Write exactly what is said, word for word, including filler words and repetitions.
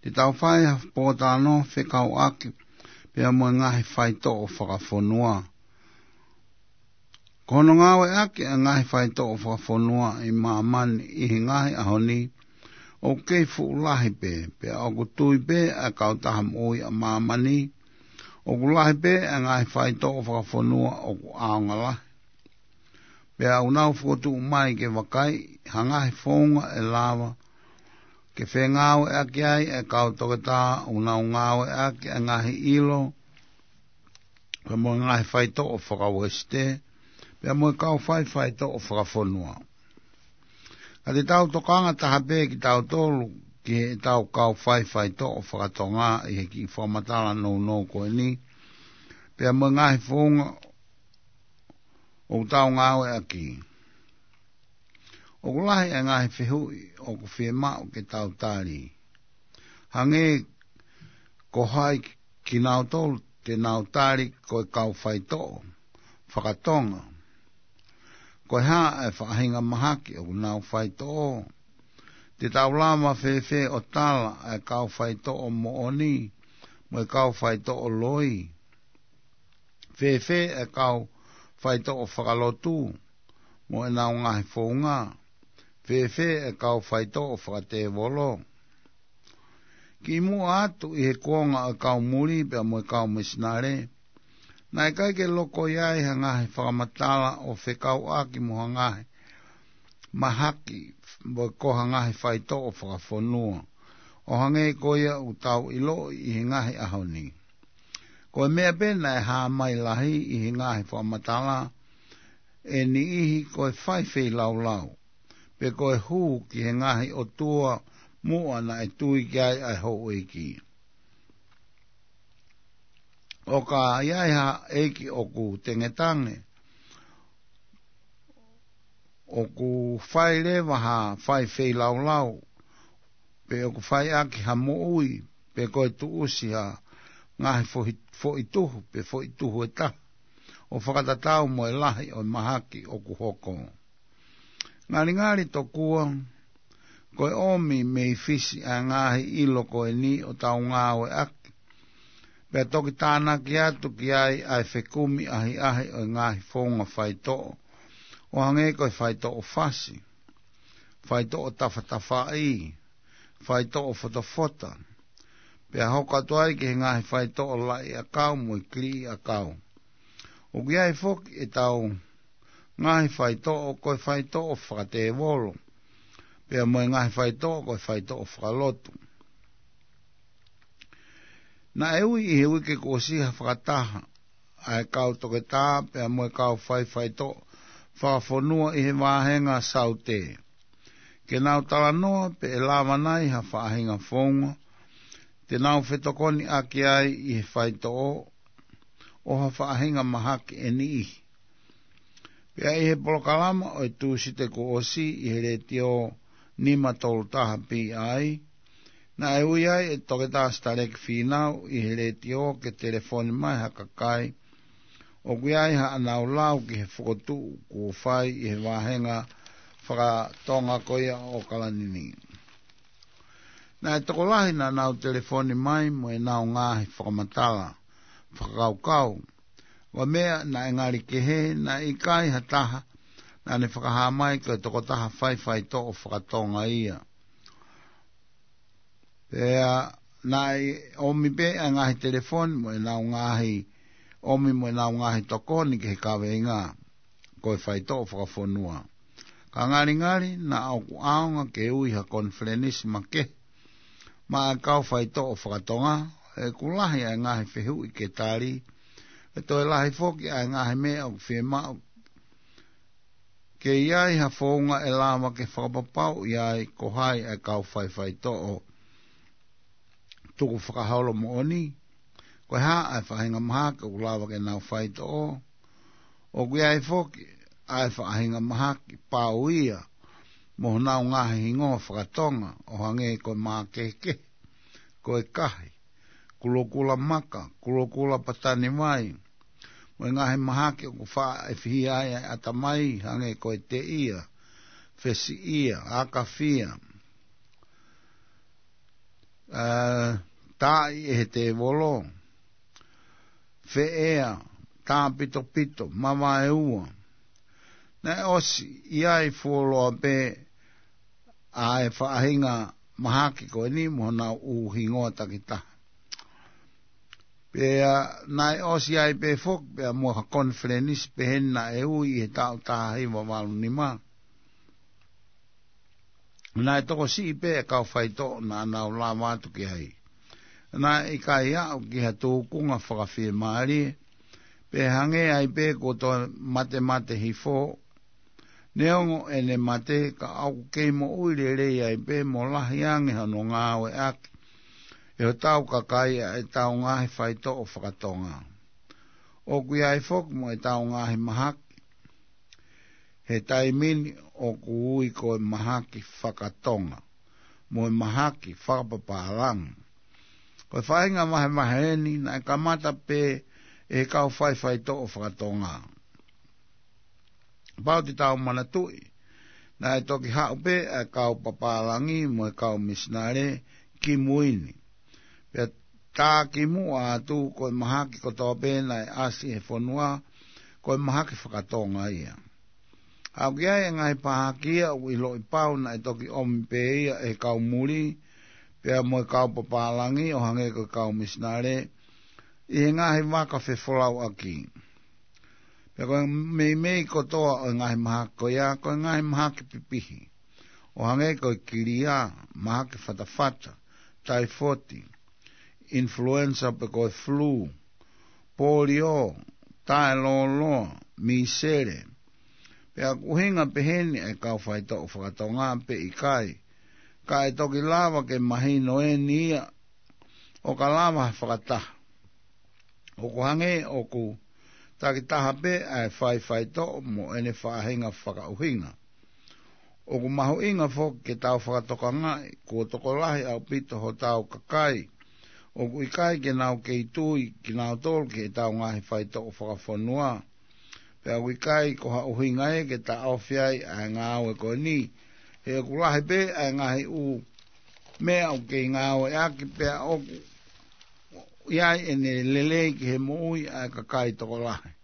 Te tau fai ha pōtalanoa fekauʻaki pea mo e ngaahi faitoʻo fakafonua. Ko hono ngāueʻaki ʻa e ngaahi faitoʻo fakafonua ʻi māmani ʻi he ngaahi ʻaho ni, ʻoku kei fuʻu lahi pē, pea ʻoku tui pē ʻa e kautaha moʻui ʻa māmani, ʻoku lahi pē ʻa e ngaahi faitoʻo fakafonua ʻoku ʻaonga lahi. Pea ʻoku nau fokotuʻu mai ke vakai ha ngaahi founga ʻe lava ke fengāueʻaki ai ʻa e kau toketā ʻoku nau ngāueʻaki ʻa e ngaahi ʻilo, pea mo e ngaahi faitoʻo fakauesite, pea mo e kau fai faitoʻo fakafonua. Ka te tau tokanga taha pē kitautolu ki heʻetau kau fai faitoʻo fakatonga ʻi he kiʻi fakamatala nounou ko eni, pea mo e ngaahi founga ʻoku tau ngāueʻaki. ʻOku lahi ʻa e ngaahi fehuʻi ʻoku fiemaʻu ke tau tali. Hangē ko hai kinautolu te nau tali ko e kau faitoʻo fakatonga? Ko e hā ʻa e faʻahinga mahaki ʻoku nau faitoʻo? Te tau lava fēfē ʻo tala ʻa e kau faitoʻo moʻoni mo e kau faitoʻo loi? Fēfē ʻa e kau faitoʻo fakalotu mo ʻenau ngaahi founga? Fēfē ʻa e kau faitoʻo fakatēvolo? Kimuʻa atu ʻi he kuonga ʻo e kau muli pea mo e kau misinale, naʻe ʻikai ke loko ai ha ngaahi fakamatala ʻo fekauʻaki mo ha ngaahi mahaki mo e ko ha ngaahi faitoʻo fakafonua, ʻo hangē ko ia ʻoku tau ʻiloʻi ʻi he ngaahi ʻaho ni. Ko e meʻa pē naʻe hā mai lahi ʻi he ngaahi fakamatala ʻe niʻihi ko e fai feilaulau, pe ko e hū ki he ngaahi ʻotua muʻa naʻe tui ki ai ʻa e houʻeiki. ʻOka ʻi ai ha ʻeiki ʻoku tengetange, ʻoku fai leva ha fai feilaulau, pe ʻoku fai ʻaki ha moʻui, pe ko e tuʻusi ha ngaahi foʻi, foʻi tuhu, pe foʻi tuhu ʻe taha, ʻo fakatatau mo e lahi ʻo e mahaki ʻoku hoko. Ngalingali tokua, ko e ʻomi mei Fisi ʻa e ngaahi ʻilo ko eni ʻo tau ngāueʻaki, pea toki tānaki atu ki ai ʻa e fekumi ʻahiʻahi ʻo e ngaahi founga faitoʻo, ʻo hangē ko e faitoʻo fasi, faitoʻo tafatafaʻi, faitoʻo fotofota, pea hoko atu ai ki he ngaahi faitoʻo laʻi ʻakau mo e kiliʻi ʻakau. ʻOku ʻi ai foki ʻetau ngaahi faitoʻo ko e faitoʻo fakatēvolo, pea mo e ngaahi faitoʻo ko e faitoʻo fakalotu. Naʻe ui ʻi he uike kuo ʻosi ha fakataha ʻa e kau toketā pea mo e kau fai faitoʻo fakafonua ʻi he vāhenga Saute, ke nau talanoa pe ʻe lava nai ha faʻahinga founga te nau fetokoniʻaki ai ʻi he faitoʻo ʻo ha faʻahinga mahaki ʻe niʻihi. Pea ʻi he polokalama ʻo e Tūsite kuo ʻosi ʻi he Letiō nima tolu taha P I, naʻe ui ai ʻe Toketā Sitaleki Fīnau ʻi he letiō ke telefoni mai ha kakai ʻoku ʻi ai haʻanau lau ki he fokotuʻu kuo fai ʻi he vāhenga fakatonga ko ia ʻo ʻAokalani ni. Naʻe tokolahi naʻa nau telefoni mai mo ʻenau ngaahi fakamatala fakakaukau. Ko e meʻa naʻe ngali kehe, naʻe ʻikai ha taha naʻa ne fakahā mai ko e tokotaha fai faitoʻo fakatonga ia. Pea naʻe ʻomi pē ʻa e ngaahi telefoni mo ʻenau ngaahi, ʻomi mo ʻenau ngaahi tokoni ki he kaveinga ko e faitoʻo fakafonua. Ka ngalingali naʻa ʻoku ʻaonga ke ui ha konifelenisi makehe maʻa e kau faitoʻo fakatonga, he ʻoku lahi ʻa e ngaahi fehuʻi ke tali, ʻe toe lahi foki ʻa e ngaahi meʻa ʻoku fiemaʻu ke ʻi ai ha founga ʻe lava ke fakapapauʻi ai ko hai ʻa e kau fai faitoʻo tukufakaholo moʻoni, ko e hā ʻa e faʻahinga mahaki ʻoku lava ke nau faitoʻo. ʻOku ʻi ai foki ʻa e faʻahinga mahaki pau ia mo honau ngaahi hingoa fakatonga, ʻo hangē ko e mākehekehe, ko e kahi, kulokula maka, kulokula patani vai, mo e ngaahi mahaki ʻoku faʻa ʻefihia ai ʻa e ʻatamai, hangē ko e teʻia, fesiʻia, akafia, ʻa taaʻi ʻe he tēvolo, feʻea, tāpitopito, mavaeua. Naʻe ʻosi ʻi ai fuoloa pē ʻa e faʻahinga mahaki ko eni mo honau ʻū hingoa takitaha. Pea naʻe ʻosi ai pē foki pea mo ha konifelenisi pehē naʻe ui ʻi he taʻu taha hiva valu nima. Naʻe tokosiʻi pē e kau faitoʻo naʻa nau lava atu ki ai. Naʻe ʻikai aʻu ki ha tūkunga fakafiemālie, pea hangē ai pē kuo toe matemate hifo. Neongo ʻene mate, ka ʻoku kei moʻui lelei ai pē mo lahi ange hono ngāueʻaki ʻe hotau kakai ʻa ʻetau ngaahi faitoʻo fakatonga. ʻOku ʻi ai foki mo ʻetau ngaahi mahaki he taimi ni ʻoku ui ko e mahaki fakatonga mo e mahaki fakapapālangi. Ko e faʻahinga vahevahe eni naʻe kamata pē ʻe he kau faifaitoʻo fakatonga. Pau te tau manatuʻi, naʻe toki haʻu pē ʻa e kau papālangi mo e kau misinale ki mui ni. Pea tā kimuʻa atu ko e mahaki kotoa pē naʻe ʻasi he fonua, ko e mahaki fakatonga ia. Aʻu ki ai e ngaahi pāhaki ia ʻoku ʻiloʻi pau naʻe toki ʻomi pē ia ʻe he kau muli, pea mo e kau papālangi ʻo hangē ko e kau misinale, ʻi he ngaahi vaka fefolauʻaki. Pea ko e meimei kotoa ʻo e ngaahi mahaki ko ia, ko e ngaahi mahaki pipihi. ʻO hangē ko e kilia, mahaki fatafata, taifoti, influenza pe ko e flu, polio, taelōloa, misele. Pea ʻoku ʻuhinga pehē ni ʻa e kau faitoʻo fakatonga pe ʻikai. Ka ʻe toki lava ke mahino eni ia ʻo ka lava ha fakataha. ʻOku hangē ʻoku takitaha pē ʻa e faifaitoʻo mo ʻene faʻahinga fakaʻuhinga. ʻOku mahuʻinga foki ke tau fakatokangaʻi, kuo tokolahi ʻaupito hotau kakai ʻoku ʻikai ke nau kei tui kinautolu ki heʻetau ngaahi faitoʻo fakafonua. Pea ʻoku ʻikai ko ha ʻuhinga ia ke taʻofi ai ʻa e ngāue ko eni. He ʻoku lahi pē ʻa e ngaahi ʻū meʻa ʻoku kei ngāueʻaki pea ʻoku ʻi ai ʻene lelei ki he moʻui ʻa e kakai tokolahi.